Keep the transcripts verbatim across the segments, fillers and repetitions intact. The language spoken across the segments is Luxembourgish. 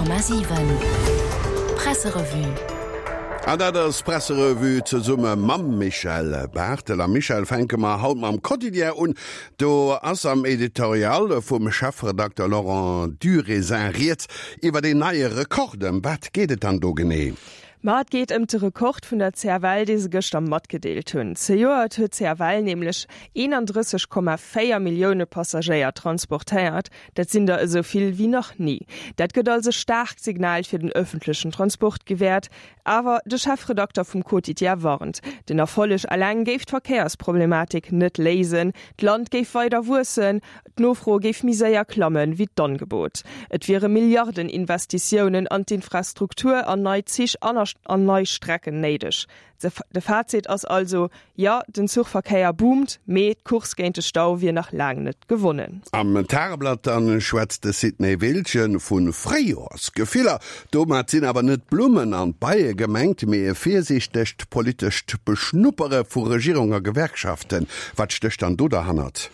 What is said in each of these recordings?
Komma siwen Presserevue. An dat ass d'Presserevue zesumme mam Michel Barthel. A Michel, fänke mer haut mam Quotidien un. Do ass am Editorial vum Chefredakter Laurent Durézin rieds iwwer een neie Rekord. Ëm wat geet et dann do genee? Ma et geet ëm de Rekord vun der C F L, dee se gëschter matgedeelt hunn. Zejoert huet d'C F L nämlech eenandrësseg Komma véier Millioune Passagéier transportéiert. Dat sinn der esou vill wéi nach ni. Dat gëtt als e staarkt Signal fir den ëffentlechen Transport gewäert. Awer de Chefredakter vum Quotidien warnt, den Erfolleg eleng géif d'Verkéiersproblematik net léisen. D'Land géif weider wuessen, d'Nofro géif méi séier klammen wéi d'Angebot. Et wiere Milliardeninvestitiounen an d'Infrastruktur, an nei Zich an an nei Strecken néideg. De Fazit ass also, Jo, den Zuchverkéier boomt, mee d'Course géint de Stau wier nach laang net gewonnen. Am Tageblatt dann schwätzt de Sidney Wiltgen vu Fréijoersgefiller. Domat sinn awer net d'Blummen an d'Beie gemengt, mee e virsiichtegt politescht Beschnuppere vu Regierung a Gewerkschaften. Wat stécht dann do derhannert?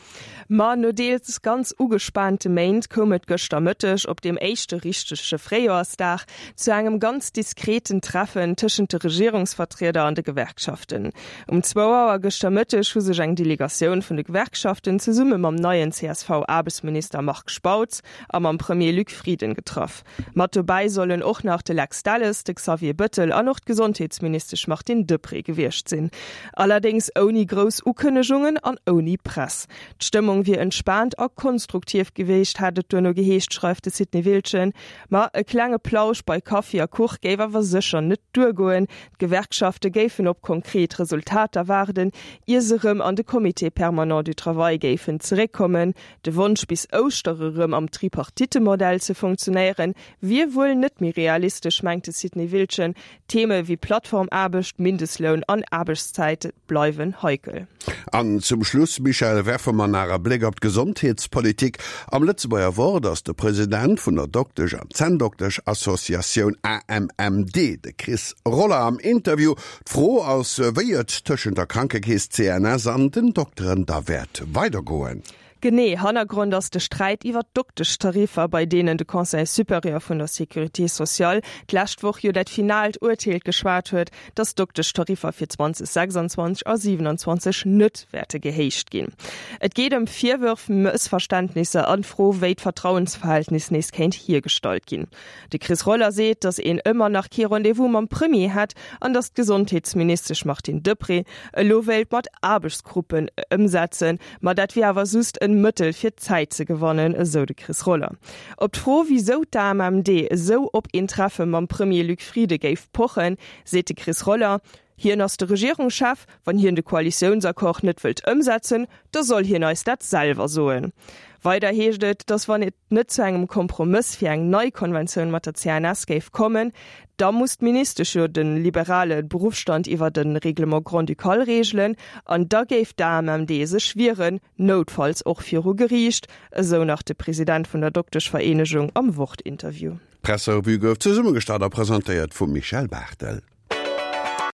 Ma no deels ganz ugespaante Méint koum et gëschter Mëtteg, op deem éischte richtege Fréijoersdag, zu engem ganz diskreten Treffen tëschent de Regierungsvertrieder an de Gewerkschaften. Um zwou Auer gëschter Mëtteg hu sech eng Delegatioun vun de Gewerkschaften zesumme mam neien C S V-Aarbechtsminister Marc Spautz a mam Premier Luc Frieden getraff. Mat dobäi sollen och nach de Lex Delles, de Xavier Bëttel an och d'Gesondheetsministesch Martine Deprez gewiescht sinn. Allerdéngs ouni grouss Ukënnegungen an ouni Press. D'Stëmmung wier entspaant a konstruktiv gewiescht, hat et duerno geheescht, schreift de Sidney Wiltgen. Ma e klenge Plausch bei Kaffi a Kuch géif awer sécher net duergoen. D'Gewerkschafte géifen op konkret Resultater waarden, ier se erëm an de Comité permanent du travail géifen zeréckkommen. De Wonsch, bis Ouschtere erëm am Tripartite-Modell ze funktionéieren, wier wuel net méi realistesch, mengt de Sidney Wiltgen. Theme wéi Plattformaarbecht, Mindestloun an Aarbechtszäite bleiwen heikel. An zum Schluss, Michèle, werfe mer nach e Bléck op d'Gesondheetspolitik. Am Lëtzebuerger Wort ass de President vun der Doktesch an Zänndoktesch-Associatioun A M M D, de Chris Roller, am Interview. D'Fro ass, wéi et tëschent der Krankekeess C N S an den Dokteren da wäert weidergoen. Genee, Hannergrond ass de Sträit iwwer d'Dokteschtariffer, bei deenen de Conseil supérieur vun der Sécurité sociale d'lescht Woch jo dat finaalt Urteel geschwat huet, datt d'Dokteschtariffer fir zweitausendsechsundzwanzig a siebenundzwanzig net wäerte gehéicht ginn. Et geet ëm Virwërf, Mëssverständnisser an d'Fro, wéi d'Vertrauensverhältnis nees kéint hiergestallt ginn. De Chris Roller seet, datt een ëmmer nach kee Rendez-vous mam Premier hätt an datt d'Gesondheetsministesch Martine Deprez elo wéilt mat Aarbechtsgruppen ëmsetzen, ma dat wier awer just en Mëttel fir Zäit ze gewannen, esou de Chris Roller. Op d'Fro, wisou d'A M M D esou op een Treffe mam Premier Luc Frieden géif pochen, seet de Chris Roller, Hien ass de Regierungschef, wann hien de Koalitiounsaccord net wëllt ëmsetzen, da soll hien eis dat selwer soen. Weider heescht et, datt wann et net zu engem Kompromëss fir eng nei Konventioun mat der C N S géif kommen, da muss d'Ministesch jo de liberale Beruffsstand iwwer de Règlement grand-ducal reegelen an da géif d'A M M D sech wieren, noutfalls och viru Geriicht, esou nach de President vun der Dokteschvereenegung am Wort-Interview. D'Presserevue gouf zesummegestallt a presentéiert vum Michel Barthel.